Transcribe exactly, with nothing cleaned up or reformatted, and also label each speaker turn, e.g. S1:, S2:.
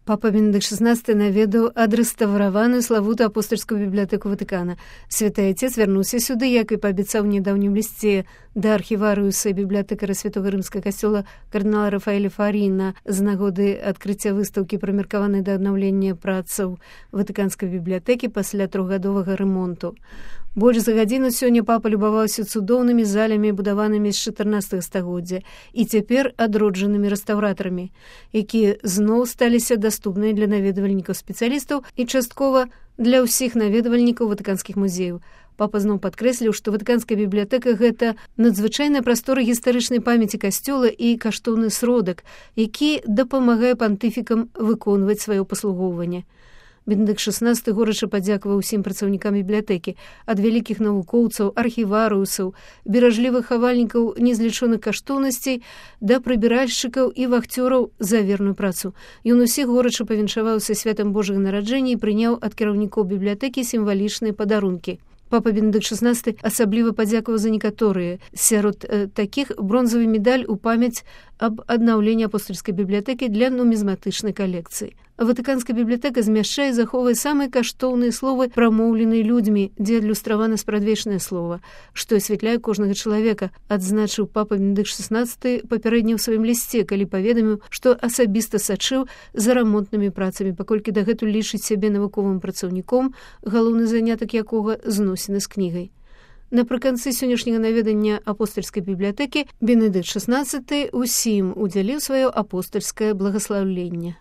S1: Папа Бенедыкт шаснаццаты наведаў адрэстаўраваную славутую апостальскую бібліятэку Ватыкана. Святы Отец вярнуўся сюды, як і паабяцаў у нядаўнім лісце да архіварыуса бібліятэкара святога рымскага касцёла кардынала Рафаэля Фаріна з нагоды адкрыцця выстаўкі, прымеркаванай да аднаўлення працаў ватыканскай бібліятэкі пасля трохгадовага рамонту. Больш за гадзіну сёння папа любаваўся цудоўнымі залямі, будаванымі з чатырнаццатага стагоддзя і цяпер адроджанымі рэстаўратарамі, якія зноў сталіся даступныя для наведвальнікаў спецыялістаў і часткова для ўсіх наведвальнікаў ватыканскіх музеяў. Папа зноў падкрэсліў, што ватыканская бібліятэка – гэта надзвычайная прастора гістарычнай памяці касцёла і каштоўны сродак, які дапамагае пантыфікам выконваць сваё паслугоўванне. Бенедыкт шаснаццаты горача падзякаваў усім працаўнікам бібліятэкі, ад вялікіх навукоўцаў, архіварыусаў, беражлівых хавальнікаў незлічоных каштоўнасцей да прыбіральшчыкаў і вахцёраў за верную працу. Ён усіх горача павіншаваўся святам Божага нараджэння і прыняў ад кіраўнікоў бібліятэкі сімвалічныя падарункі. Папа Бенедыкт шаснаццаты асабліва падзякаваў за некаторыя. Сярод э, такіх бронзавы медаль у памяць аб аднаўленні апостальскай бібліятэкі для нумізматычнай калекцыі. Ватыканская бібліятэка змяшчае і захоўвае самыя каштоўныя словы, прамоўленыя людзьмі, дзе адлюстравана спрадвечнае слова, што асвятляе кожнага чалавека, адзначыў папа Бенедыкт шаснаццаты папярэдне ў сваім лісце, калі паведаміў, што асабіста сачыў за рамонтнымі працамі, паколькі дагэтуль лічыць сябе навуковым працаўніком, галоўны занятак якога зносіны з кнігай. Напрыканцы сённяшняга наведання апостальскай бібліятэкі Бенедыкт шаснаццаты ўсім удзяліў сваё апостальскае благаслаўленне.